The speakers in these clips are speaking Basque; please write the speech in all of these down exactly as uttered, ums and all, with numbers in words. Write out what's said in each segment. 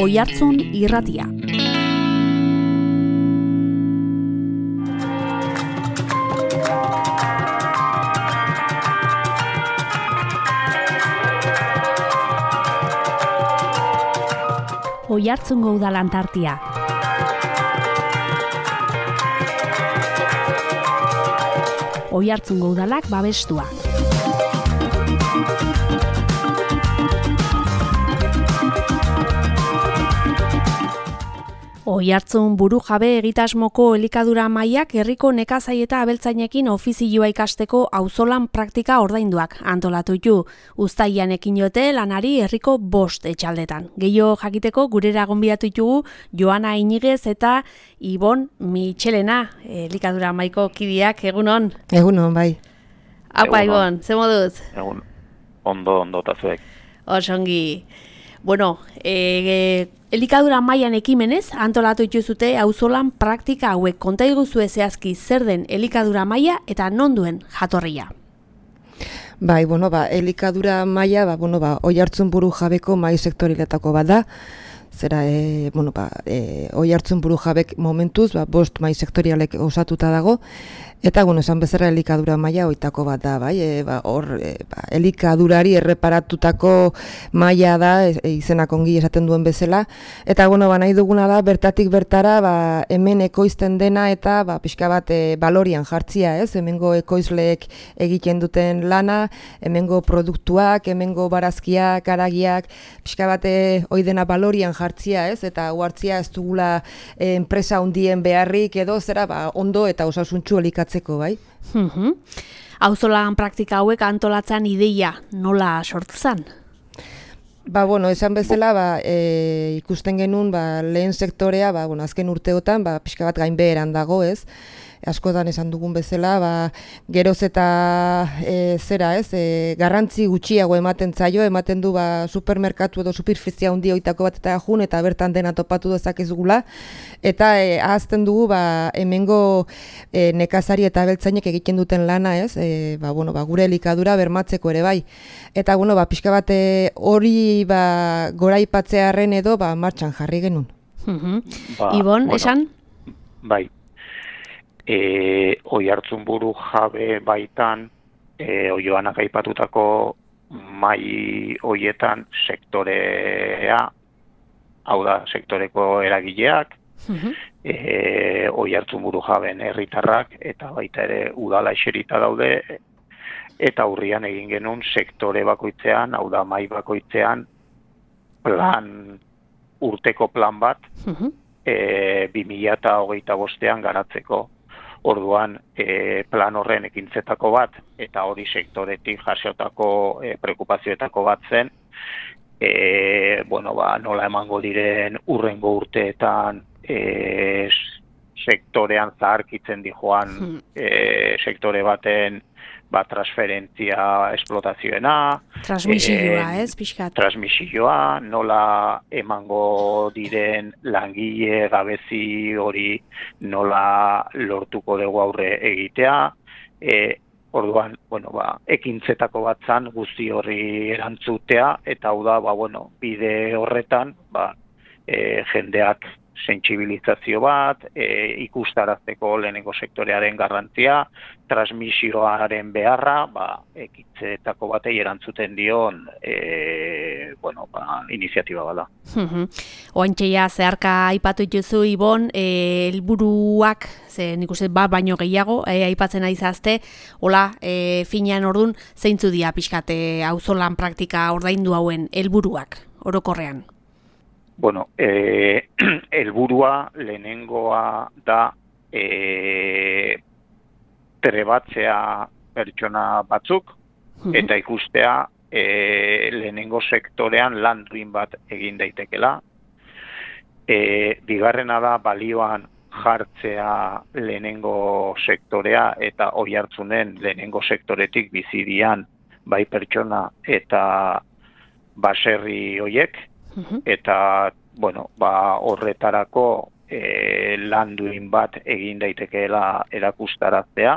Oihartzun Irratia. Oihartzungo Udal Antartia. Oihartzungo Udalak babestua. Oihartzun burujabe egitasmoko elikadura mailak herriko nekazai eta abeltzainekin ofizioa ikasteko auzolan praktika ordainduak antolatu ditu. Uztailean ekin diote lanari herriko bost etxaldetan. Gehiago jakiteko gurera gonbidatu ditugu Joana Iñiguez eta Ibon Michelena, elikadura maiko kideak, egunon. Egunon, bai. Apa, Ibon, ze moduz? Egun, ondo, ondo, tazuek. Osongi. Bueno, e, elikadura mailan ekimenez antolatu dituzute auzolan praktika hauek. Konta iguzue zehazki zer den elikadura maila eta non duen jatorria. Bai, bueno, ba, elikadura maila, ba, bueno, ba, Oihartzun burujabeko mai sektorialetako bat da. Zera, e, bueno, ba, e, Oihartzun burujabek momentuz, ba, bost mai sektorialek osatuta dago. Eta, bueno, esan bezala elikadura maila hoitako bat da, bai, e, ba, hor, e, ba, elikadurari erreparatutako maila da, e, izenak ongi esaten duen bezala. Eta, bueno, ba, nahi duguna da, bertatik bertara, ba, hemen ekoizten dena eta, ba, pixka bat, e, balorian jartzia, ez? Hemengo ekoizleek egiten duten lana, hemengo produktuak, hemengo barazkiak, haragiak, pixka bat, e, hoi dena balorian jartzia, ez? Eta huartzia ez dugula e, enpresa handien beharrik edo, zera, ba, ondo eta osasuntsu elikatzen. Bai? Mhm. Auzolan praktika hauek antolatzen ideia nola sortu zen? Ba, bueno, esan bezala, ba, e, ikusten genuen, ba, lehen sektorea, ba, bueno, azken urteotan, ba, pixka bat gainbeheran dago, ez? Askotan esan dugun bezala, ba, geroz eta e, zera, ez? E, garrantzi gutxiago ematen zaio, ematen du ba, supermerkatu edo superfizia handi hoitako bat eta jun, eta bertan dena topatu dezakezugula, eta e, ahazten dugu ba, hemengo e, nekazari eta abeltzainek egiten duten lana, ez? E, ba, bueno, ba, gure elikadura bermatzeko ere bai. Eta bueno, ba, pixka bat hori ba, goraipatzearren edo ba, martxan jarri genuen. Uh-huh. Ba, Ibon, bueno, esan? Bai. E, Oihartzun burujabe baitan, e, Oioanak aipatutako mai hoietan sektorea, hau da, sektoreko eragileak, uh-huh. e, Oihartzun burujaben herritarrak, eta baita ere udala eserita daude, eta urrian egin genuen sektore bakoitzean, hau da, mai bakoitzean, plan, urteko plan bat, uh-huh. e, bi mila hogeita bostean garatzeko. Orduan, e, plan horren ekintzetako bat, eta hori sektoretik jasotako e, preokupazioetako bat zen, e, bueno, ba, nola emango diren urrengo urteetan e, sektorean zaharkitzen dijoan e, sektore baten ba, transferentzia esplotazioena. Transmisioa, e, ez, pixkat. Transmisioa, nola emango diren langile gabezi hori nola lortuko dugu aurre egitea. E, orduan, bueno, ba, ekintzetako bat zan guzti horri erantzutea, eta hau da, ba, bueno, bide horretan, ba, e, jendeak sentsibilizazio bat, e, ikustarazteko lehenengo sektorearen garrantzia, transmisioaren beharra, ba, ekintzetako batei erantzuten dion e, bueno, ba, iniziatiba bada. Uh-huh. Oantxeia zeharka aipatu dituzu, Ibon, e, helburuak, ze nik uste bat baino gehiago, e, aipatzen ari zazte, hola, e, finean ordun zeintzu dia pixkate auzolan praktika ordaindu hauen helburuak orokorrean? Bueno, eh, helburua lehenengoa da e, trebatzea pertsona batzuk, uh-huh. eta ikustea e, lehenengo sektorean lan duin bat egin daitekela. E, bigarrena da balioan jartzea lehenengo sektorea eta Oihartzunen lehenengo sektoretik bizidian bai pertsona eta baserri hoiek. Uh-huh. Eta, bueno, ba, horretarako e, landuin bat egin daitekeela erakustaraztea.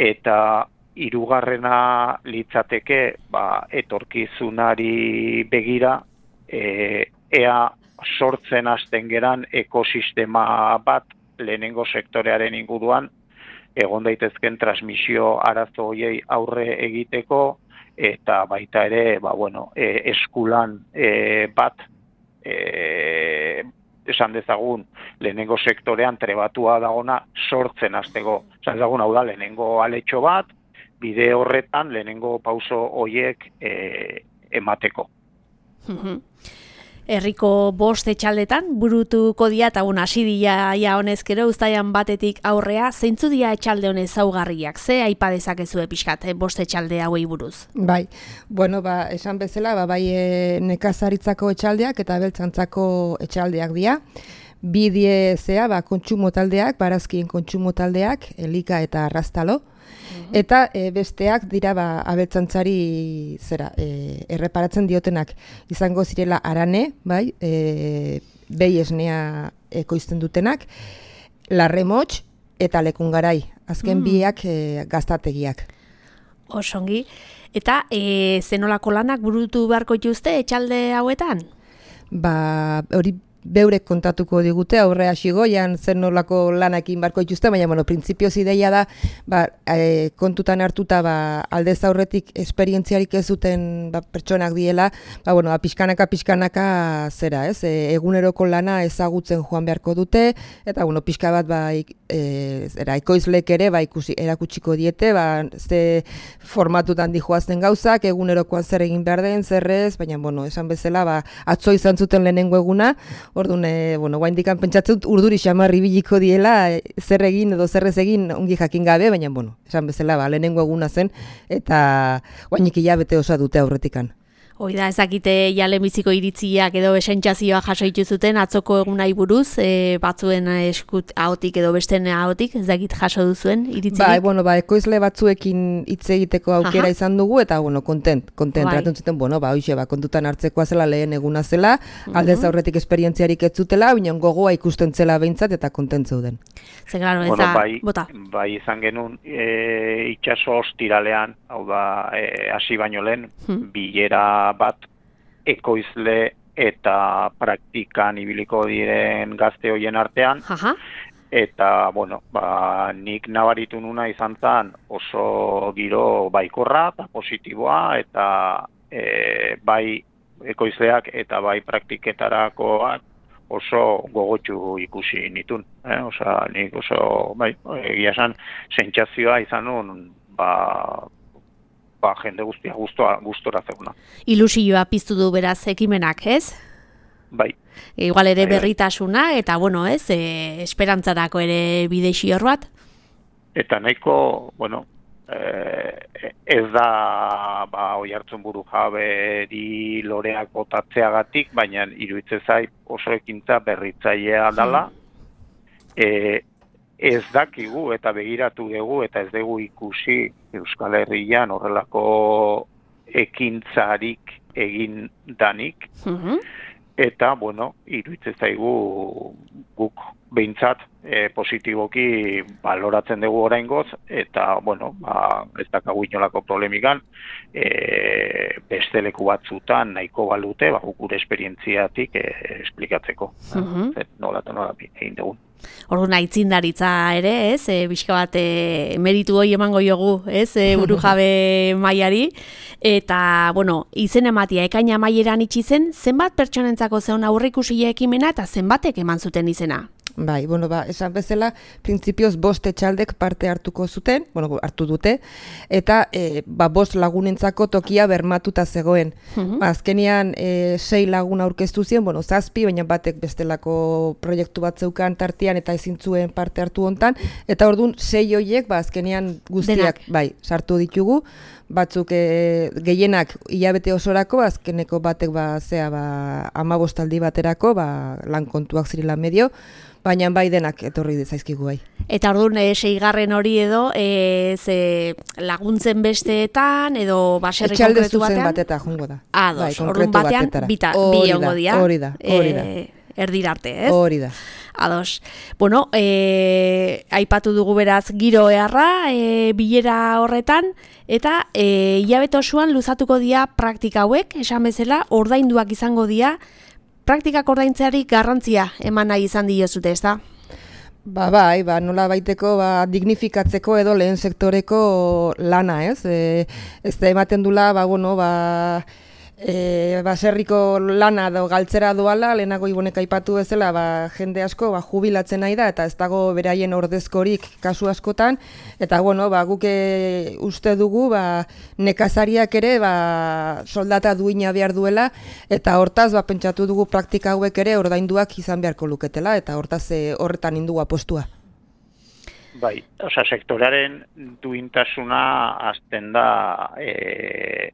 Eta hirugarrena litzateke, ba, etorkizunari begira, e, ea sortzen hasten geran ekosistema bat lehenengo sektorearen inguruan, egon daitezken transmisio arazo horiei aurre egiteko, eta baita ere, ba, bueno, e, eskulan e, bat, e, esan dezagun, lehenengo sektorean trebatua dagona sortzen hasteko. Esan dezagun, hau da, lehenengo aletxo bat, bide horretan lehenengo pauso horiek e, emateko. Herriko bost etxaldetan burutuko dia eta un hasi dia ja honezkero uztaian batetik aurrea, zeintzu dia etxalde honez zaugarriak, ze aipa dezakezue pixkat bost etxalde hauei buruz? Bai, bueno, ba, esan bezala, ba, bai e, nekazaritzako etxaldeak eta abeltzantzako etxaldeak dira. Bi die zea, ba, kontsumo taldeak, barazkien kontsumo taldeak, elika eta arrastalo. Eta e, besteak dira ba, abeltzantzari zera, e, erreparatzen diotenak izango zirela arane, bai, e, behi esnea ekoizten dutenak, larremots eta lekungarai, azken mm. biak e, gaztategiak. Osongi, eta e, zenolako lanak burutu beharko dituzte etxalde hauetan? Ba, hori beurek kontatuko digute, aurre hasi goian zer nolako lanekin barko dituzte, baina, bueno, printzipioz ideia da, ba, e, kontutan hartuta, ba, aldez aurretik esperientziarik ez zuten ba, pertsonak diela, ba, bueno, ba, pixkanaka, pixkanaka zera, ez, e, eguneroko lana ezagutzen joan beharko dute, eta, bueno, pixka bat, ba, ik, e, zera, ekoizlek ere, ba, ikusi, erakutsiko diete, ba, ze formatutan dijoazten gauzak, egunerokoan zer egin behar den, zerrez, baina, bueno, esan bezala, ba, atzo izan zuten lehenengo eguna, orduan, e, bueno, guaindikan pentsatzen dut urduri xamarri biliko diela, e, zer egin edo zerrez egin ongi jakin gabe, baina, bueno, esan bezala, ba, lehenengo eguna zen, eta guainik hilabete osa dute aurretikan. Hoi da, ezakite jalemiziko iritziak edo esentzazioa jaso dituzuten atzoko egunai buruz, e, batzuen eskut ahotik edo besten ahotik, ezakit jaso duzuen iritziak? Ba, bueno, ba, ekoizle batzuekin hitz egiteko aukera Aha. izan dugu, eta, bueno, kontent, kontent, bai. Ratun zuten, bueno, ba, hoxe, ba, kontutan hartzekoa zela lehen eguna zela, uh -huh. aldez aurretik esperientziarik ez zutela, baina gogoa ikusten zela behintzat eta kontent zeuden. Ze, claro, bueno, eza, bai, bota. Bai, izan genuen, e, itxaso ostiralean, hau da, hasi e, baino lehen, hmm. bilera bat ekoizle eta praktikan ibiliko diren gazte hoien artean. Aha. Eta, bueno, ba, nik nabaritu nuna izan zen oso giro baikorra eta positiboa, eta e, bai ekoizleak eta bai praktiketarakoak oso gogotsu ikusi nitun. Eh? Osa, nik oso, bai, egia esan, sentsazioa izan nun, ba, ba, jende guztia gustora, gustora zeuna. Ilusioa piztu du beraz ekimenak, ez? Bai. Igual ere berritasuna, eta bueno, ez, e, esperantzarako ere bideixi hor bat? Eta nahiko, bueno, e, ez da, ba, Oiartzun Burujaberi loreak botatzeagatik, baina iruditzen zait oso ekintza berritzailea dela, e, ez dakigu eta begiratu dugu eta ez dugu ikusi Euskal Herrian horrelako ekintzarik egin danik. Uh-huh. Eta, bueno, iruditzen zaigu guk behintzat e, positiboki baloratzen dugu oraingoz, eta, bueno, ba, ez dakagu inolako problemikan, e, beste leku batzutan nahiko balute, ba, gure esperientziatik e, esplikatzeko. Uh-huh. Nola eta nola egin dugun. Orduan aitzindaritza ere, ez, e, bizka bat e, meritu hori emango jogu, ez, e, burujabe mailari, eta, bueno, izen ematia ekaina maileran itxi zen, zenbat pertsonentzako zeon aurreikusia ekimena eta zenbatek eman zuten izena? Bai, bueno, ba, esan bezala, printzipioz bost etxaldek parte hartuko zuten, bueno, hartu dute, eta e, ba, bost lagunentzako tokia bermatuta zegoen. Uh-huh. Ba, azkenean, e, sei lagun aurkeztu ziren, bueno, zazpi, baina batek bestelako proiektu bat zeukan tartean eta ezin zuen parte hartu hontan, eta orduan sei horiek, ba, azkenean guztiak, Denak. bai, sartu ditugu, batzuk e, gehienak hilabete osorako, azkeneko batek, ba, zea, ba, amabostaldi baterako, ba, lan kontuak zirela medio, baina bai denak etorri zaizkigu bai. Eta orduan, e, seigarren hori edo, e, ze laguntzen besteetan, edo baserri konkretu batean? Etxalde zuzen bateta jungo da. Ados, bai, orduan batean, bita, bi hongo dira. Hori da, hori da. E, erdirarte, ez? Hori da. Ados. Bueno, e, aipatu dugu beraz giro eharra, e, bilera horretan, eta e, hilabete osoan luzatuko dira praktika hauek, esan bezala, ordainduak izango dira, praktikak ordaintzeari garrantzia eman nahi izan diozute, ez da? Ba, bai, ba, nola baiteko ba, dignifikatzeko edo lehen sektoreko lana, ez? E, ez da ematen dula, ba, bueno, ba, e, baserriko lana edo galtzera doala, lehenago ibonek aipatu bezala, ba, jende asko ba, jubilatzen nahi da, eta ez dago beraien ordezkorik kasu askotan, eta, bueno, ba, guk uste dugu, ba, nekazariak ere, ba, soldata duina behar duela, eta hortaz, ba, pentsatu dugu praktika hauek ere ordainduak izan beharko luketela, eta hortaz e, horretan indugu apostua. Bai, osea, sektorearen duintasuna hasten da e,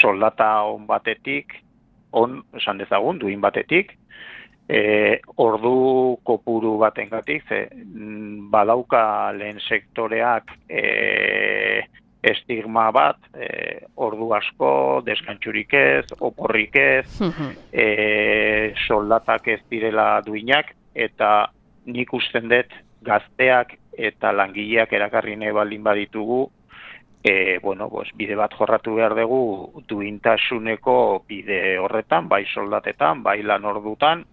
soldata on batetik, on, esan dezagun, duin batetik, e, ordu kopuru batengatik, ze badauka lehen sektoreak e, estigma bat, e, ordu asko, desgantxurik ez, oporrik ez, e, soldatak ez direla duinak, eta nik usten dut gazteak eta langileak erakarri nahi baldin baditugu, E, bueno, pues, bide bat jorratu behar dugu duintasuneko bide horretan, bai soldatetan, bai lan ordutan,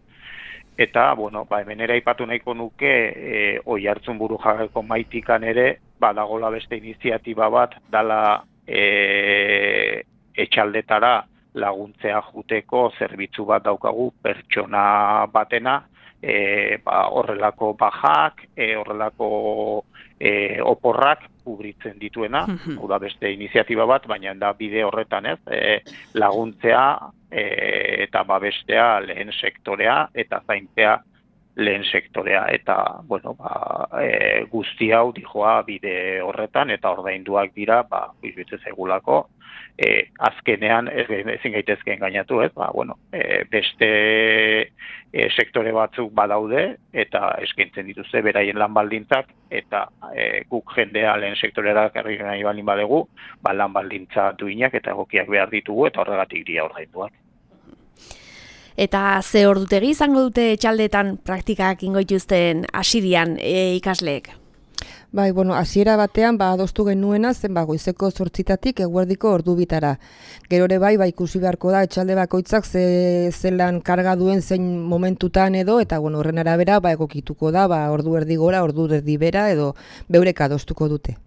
eta, bueno, ba, hemen ere aipatu nahiko nuke, e, Oiartzun Burujabeko maitikan ere, badagola beste iniziatiba bat, dala e, etxaldetara laguntzea juteko zerbitzu bat daukagu pertsona batena, e, ba, horrelako bajak, e, horrelako e, oporrak, kubritzen dituena, hau da beste iniziatiba bat, baina da bide horretan ez, e, laguntzea e, eta babestea lehen sektorea eta zaintzea lehen sektorea, eta bueno, ba, e, guzti hau dijoa bide horretan eta ordainduak dira, ba, izbitze zegulako, e, azkenean ez, ezin gaitezke engainatu, ez, ba, bueno, e, beste e, sektore batzuk badaude eta eskaintzen dituzte beraien lan baldintzak, eta e, guk jendea lehen sektorera karri nahi baldin badegu, ba, lan baldintza duinak eta egokiak behar ditugu eta horregatik dira ordainduak. Eta ze ordutegi izango dute etxaldetan praktikak ingoituzten hasidian e, ikasleek? Bai, bueno, hasiera batean ba adostu genuena zen ba goizeko zortzitatik eguerdiko ordu bitara. Gero ere bai, ba ikusi beharko da etxalde bakoitzak ze zelan karga duen zein momentutan edo, eta bueno, horren arabera ba egokituko da, ba ordu erdi gora, ordu erdi bera edo beurek adostuko dute.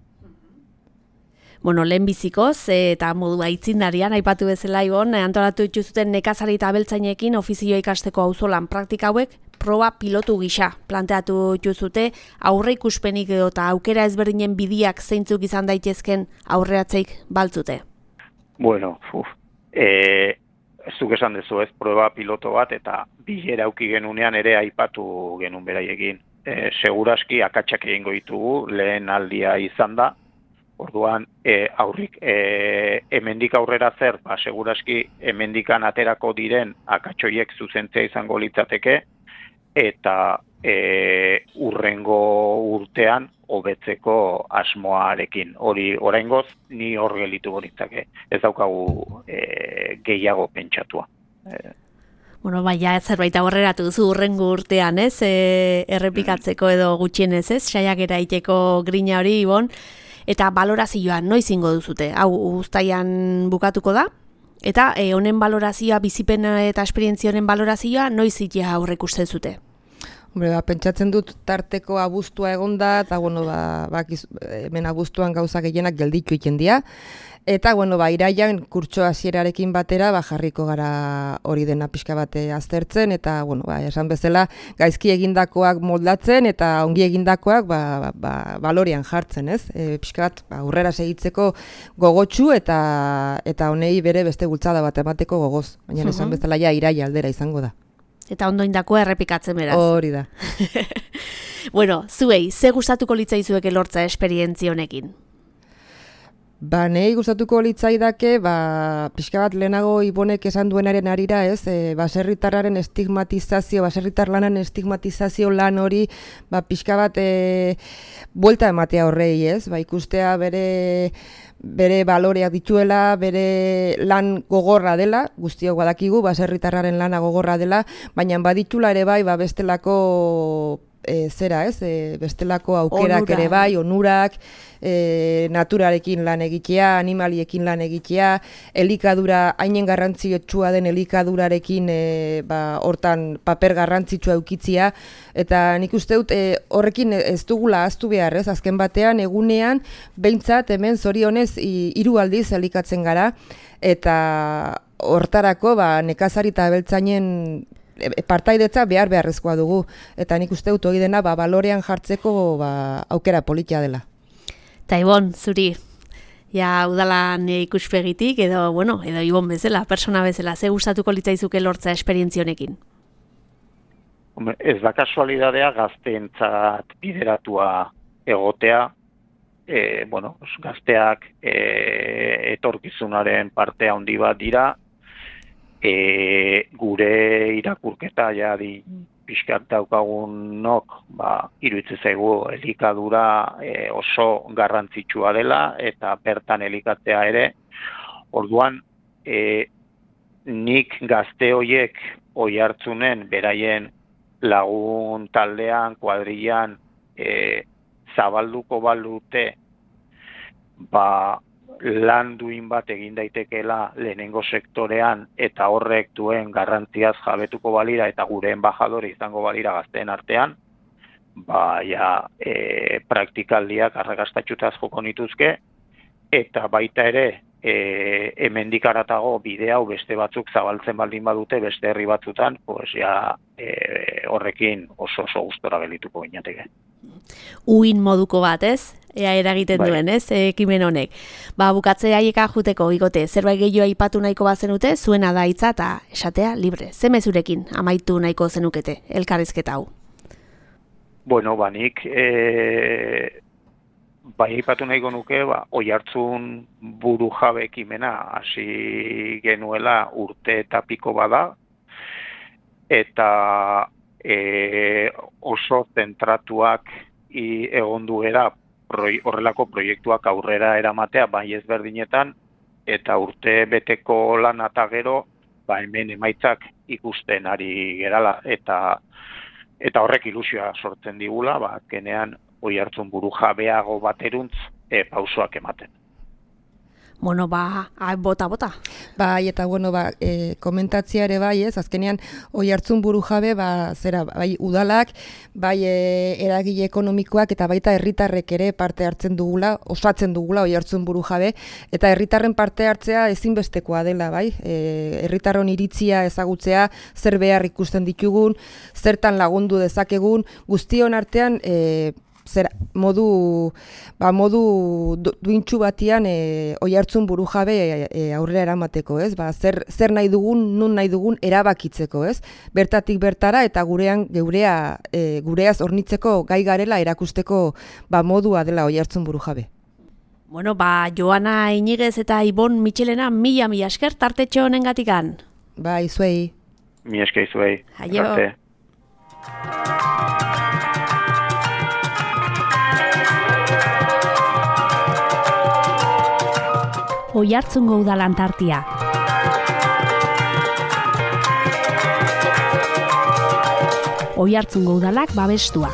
Bueno, lehen bizikoz eta modu aitzindarian aipatu bezala Ibon, antolatu dituzuten nekazari eta abeltzainekin ofizioa ikasteko auzolan praktika hauek proba pilotu gisa planteatu dituzute, aurre ikuspenik edo eta aukera ezberdinen bidiak zeintzuk izan daitezken aurreatzeik baltzute. Bueno, uf, eh, ez duk esan dezu ez proba piloto bat eta bilera auki genunean ere aipatu genuen beraiekin. E, seguraski akatsak egingo ditugu, lehen aldia izan da. Orduan, e, aurrik, e, hemendik aurrera zer, ba, seguraski hemendikan aterako diren akatsoiek zuzentzea izango litzateke, eta e, urrengo urtean hobetzeko asmoarekin. Hori oraingoz ni hor gelitu litzake. Ez daukagu e, gehiago pentsatua. E, Bueno, baina zerbait aurreratu duzu urrengo urtean, ez? E, errepikatzeko edo gutxienez, ez? Saiakera egiteko grina hori, Ibon. Eta balorazioa noiz ingo duzute? Hau uztaian bukatuko da? Eta e, honen balorazioa, bizipen eta esperientzia honen balorazioa noiz itea aurrek uste zute? Hombre, ba, pentsatzen dut tarteko abuztua egonda, eta bueno, ba, ba, hemen abuztuan gauza gehienak gelditu egiten dira. Eta, bueno, ba, iraian kurtso hasierarekin batera, ba, jarriko gara hori dena pixka bate aztertzen, eta, bueno, ba, esan bezala, gaizki egindakoak moldatzen, eta ongi egindakoak, ba, ba, ba balorean jartzen, ez? E, pixka bat, ba, aurrera segitzeko gogotsu, eta eta honei bere beste bultzada bat emateko gogoz. Baina esan bezala, ja, iraia aldera izango da. Eta ondoindakoa errepikatzen beraz. Hori da. Bueno, zuei, ze gustatuko litzaizueke lortza esperientzia honekin? Ba, nahi gustatuko litzaidake, ba, pixka bat lehenago Ibonek esan duenaren arira, ez, e, baserritarraren estigmatizazio, baserritar lanan estigmatizazio lan hori, ba, pixka bat e, buelta ematea horrei, ez, ba, ikustea bere bere baloreak dituela, bere lan gogorra dela, guztiok badakigu, baserritarraren lana gogorra dela, baina baditula ere bai, ba, bestelako e, zera ez, e, bestelako aukerak Onura. ere bai, onurak, e, naturarekin lan egitea, animaliekin lan egitea, elikadura, hainen garrantzitsua den elikadurarekin e, ba, hortan paper garrantzitsua eukitzia, eta nik uste dut e, horrekin ez dugula ahaztu behar, ez? Azken batean, egunean, behintzat hemen zorionez hiru aldiz elikatzen gara, eta hortarako ba, nekazari eta abeltzainen partaidetza behar beharrezkoa dugu, eta nik uste dut hori dena ba, balorean jartzeko ba, aukera politia dela. Ta Ibon, zuri, ja udalan ikuspegitik, edo, bueno, edo Ibon bezala, persona bezala, ze gustatuko litzaizuke lortza esperientzionekin? Ez da kasualidadea gazteentzat bideratua egotea, e, bueno, gazteak e, etorkizunaren parte handi bat dira, E, gure irakurketa ja di pixkat daukagunok ba, iruditzen zaigu elikadura e, oso garrantzitsua dela eta bertan elikatzea ere. Orduan e, nik gazte hoiek oihartzunen beraien lagun taldean, kuadrillan e, zabalduko balute ba lan duin bat egin daitekeela lehenengo sektorean eta horrek duen garrantziaz jabetuko balira eta gure embajadore izango balira gazteen artean, ba, ja, e, praktikaldiak arrakastatxutaz joko nituzke, eta baita ere, e, hemendik haratago bide hau beste batzuk zabaltzen baldin badute beste herri batzutan, pues ja, e, horrekin oso oso gustora gelituko ginateke. Uin moduko bat, ez? Ea eragiten bai. duen, ez? Ekimen honek. Ba, bukatze haieka juteko, igote, zerbait gehiago aipatu nahiko bazenute, zuena da hitza eta esatea libre. Ze mezurekin amaitu nahiko zenukete, elkarrizketa hau? Bueno, banik, e, bai aipatu nahiko nuke, ba, Oihartzun burujabe ekimena hasi genuela urte eta piko bada, eta e, oso zentratuak i, egon duera horrelako proiektuak aurrera eramatea bai ezberdinetan, eta urte beteko lan eta gero, ba hemen emaitzak ikusten ari gerala, eta eta horrek ilusioa sortzen digula, ba azkenean Oihartzun burujabeago bateruntz e, pausoak ematen. Bueno, ba, bota, bota. Bai, eta bueno, ba, e, komentatzia ere bai, ez, azkenean Oihartzun burujabe, ba, zera, bai, udalak, bai, e, eragile ekonomikoak eta baita herritarrek ere parte hartzen dugula, osatzen dugula Oihartzun burujabe, eta herritarren parte hartzea ezinbestekoa dela, bai, e, herritarron iritzia ezagutzea, zer behar ikusten ditugun, zertan lagundu dezakegun, guztion artean, e, zer modu ba modu duintsu batian e, Oihartzun burujabe e, aurrera eramateko, ez? Ba, zer zer nahi dugun, nun nahi dugun erabakitzeko, ez? Bertatik bertara eta gurean geurea e, gureaz hornitzeko gai garela erakusteko ba modua dela Oihartzun burujabe. Bueno, ba Joana Iñiguez eta Ibon Michelena mila mila esker tartetxo honengatikan. Bai, zuei. Mi esker zuei. Aio. Arte. Oihartzungo udalan tartia. Oihartzungo udalak babestua.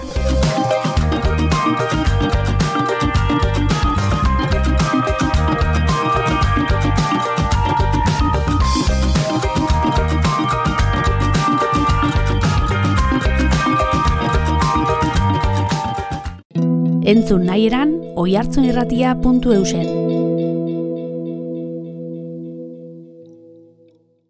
Entzun nahi eran oihartzunirratia puntu eusen.